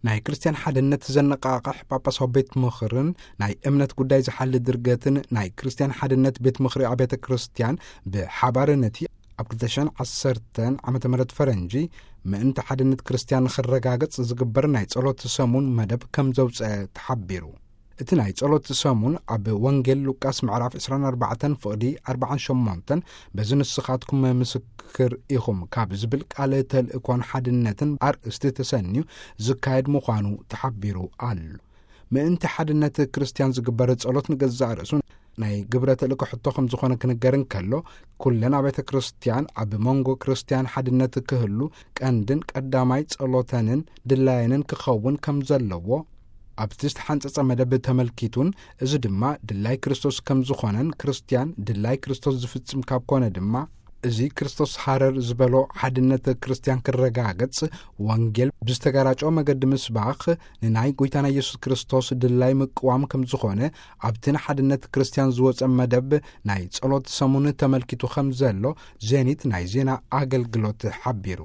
ናይ ክርስትያን ሓድነት ዘነቃቕሕ ጳጳሳዊ ቤት ምኽርን ናይ እምነት ጉዳይ ዝሓሊ ድርገትን ናይ ክርስትያን ሓድነት ቤት ምኽሪ ኣብያተ ክርስትያን ብሓባር ነቲ ኣብ ክልተ ሽሕን ዓሰርተን ዓመተ ምህረት ፈረንጂ ምእንቲ ሓድነት ክርስትያን ንኽረጋገጽ ዝግበር ናይ ጸሎት ሰሙን መደብ ከም ዘውጸ ተሓቢሩ። እቲ ናይ ጸሎት ሰሙን ኣብ ወንጌል ሉቃስ ምዕራፍ ዕስራን ኣርባዕተን ፍቕዲ ኣርባዓን ሸሞንተን በዚ ንስኻትኩም ምስክር ኢኹም ካብ ዝብል ቃል ተልእኮን ሓድነትን ኣርእስቲ ተሰንዩ ዝካየድ ምዃኑ ተሓቢሩ ኣሎ። ምእንቲ ሓድነት ክርስትያን ዝግበር ጸሎት ንገዛእ ርእሱ ናይ ግብረ ተልእኮ ሕቶ ከም ዝኾነ ክንገር እንከሎ፣ ኩለን ኣብያተ ክርስትያን ኣብ መንጎ ክርስትያን ሓድነት ክህሉ ቀንድን ቀዳማይ ጸሎተንን ድላየንን ክኸውን ከም ዘለዎ ኣብቲ ዝተሓንጸጸ መደብ ተመልኪቱን፣ እዚ ድማ ድላይ ክርስቶስ ከም ዝኾነን ክርስትያን ድላይ ክርስቶስ ዝፍጽም ካብ ኮነ ድማ እዚ ክርስቶስ ሃረር ዝበሎ ሓድነት ክርስትያን ክረጋገጽ ወንጌል ብዝተጋራጨወ መገዲ ምስባኽ ንናይ ጎይታና ኢየሱስ ክርስቶስ ድላይ ምቅዋም ከም ዝኾነ ኣብቲ ንሓድነት ክርስትያን ዝወጸ መደብ ናይ ጸሎት ሰሙን ተመልኪቱ ከም ዘሎ ዜኒት ናይ ዜና ኣገልግሎት ሓቢሩ።